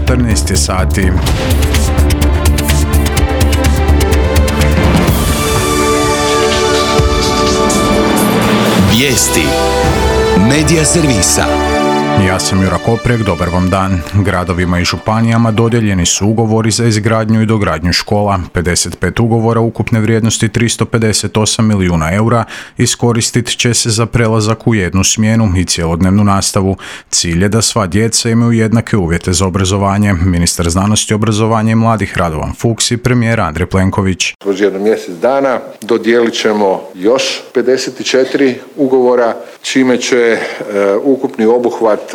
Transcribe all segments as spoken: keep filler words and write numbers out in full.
četrnaest je sati. Vijesti Medija servisa. Ja sam Jura Koprek, dobar vam dan. Gradovima i županijama dodijeljeni su ugovori za izgradnju i dogradnju škola. pedeset pet ugovora ukupne vrijednosti tristo pedeset osam milijuna eura iskoristit će se za prelazak u jednu smjenu i cjelodnevnu nastavu. Cilj je da sva djeca imaju jednake uvjete za obrazovanje. Ministar znanosti, obrazovanja i mladih Radovan Fuchs i premijer Andrej Plenković. Kroz jedno mjesec dana dodijelit ćemo još pedeset četiri ugovora, čime će e, ukupni obuhvat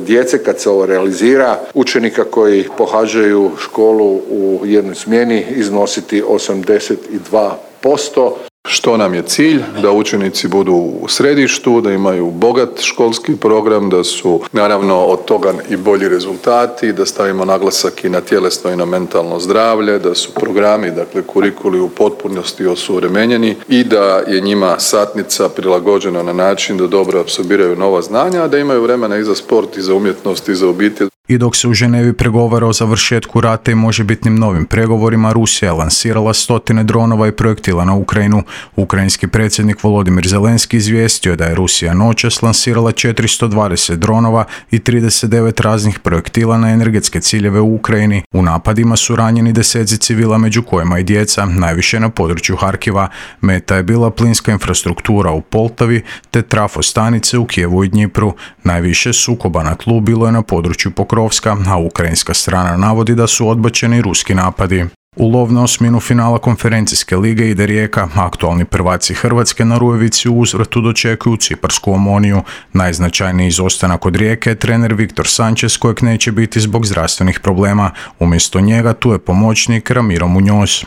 djece kad se ovo realizira, učenika koji pohađaju školu u jednoj smjeni iznositi osamdeset dva posto. Što nam je cilj? Da učenici budu u središtu, da imaju bogat školski program, da su naravno od toga i bolji rezultati, da stavimo naglasak i na tjelesno i na mentalno zdravlje, da su programi, dakle kurikuli u potpunosti osuvremenjeni i da je njima satnica prilagođena na način da dobro apsorbiraju nova znanja, a da imaju vremena i za sport i za umjetnost i za obitelj. I dok se u Ženevi pregovara o završetku rata i možebitnim novim pregovorima, Rusija je lansirala stotine dronova i projektila na Ukrajinu. Ukrajinski predsjednik Volodimir Zelenski izvijestio je da je Rusija noćas lansirala četiristo dvadeset dronova i trideset devet raznih projektila na energetske ciljeve u Ukrajini. U napadima su ranjeni deseci civila, među kojima i djeca, najviše na području Harkiva. Meta je bila plinska infrastruktura u Poltavi te trafostanice u Kijevu i Dnjipru. Najviše sukoba na tlu bilo je na području Pokrovska, a ukrajinska strana navodi da su odbačeni ruski napadi. U lov na osminu finala konferencijske lige ide Rijeka. Aktualni prvaci Hrvatske na Rujevici u uzvratu dočekuju ciparsku Omoniju. Najznačajniji izostanak od Rijeke je trener Viktor Sanchez, kojeg neće biti zbog zdravstvenih problema. Umjesto njega tu je pomoćnik Ramiro Muñoz.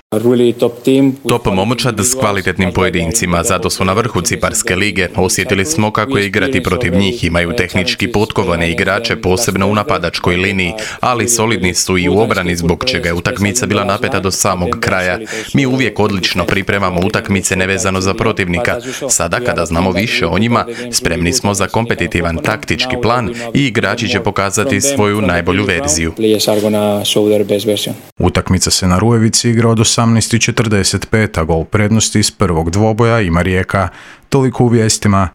Top momčad s kvalitetnim pojedincima, zato su na vrhu ciparske lige. Osjetili smo kako je igrati protiv njih, imaju tehnički potkovane igrače, posebno u napadačkoj liniji, ali solidni su i u obrani, zbog čega je utakmica bila napeta do samog kraja. Mi uvijek odlično pripremamo utakmice nevezano za protivnika. Sada kada znamo više o njima, spremni smo za kompetitivan taktički plan i igrači će pokazati svoju najbolju verziju. Utakmica se na Rujevici igra od osamnaest i četrdeset pet, a gol prednosti iz prvog dvoboja ima Rijeka. Toliko u vijestima.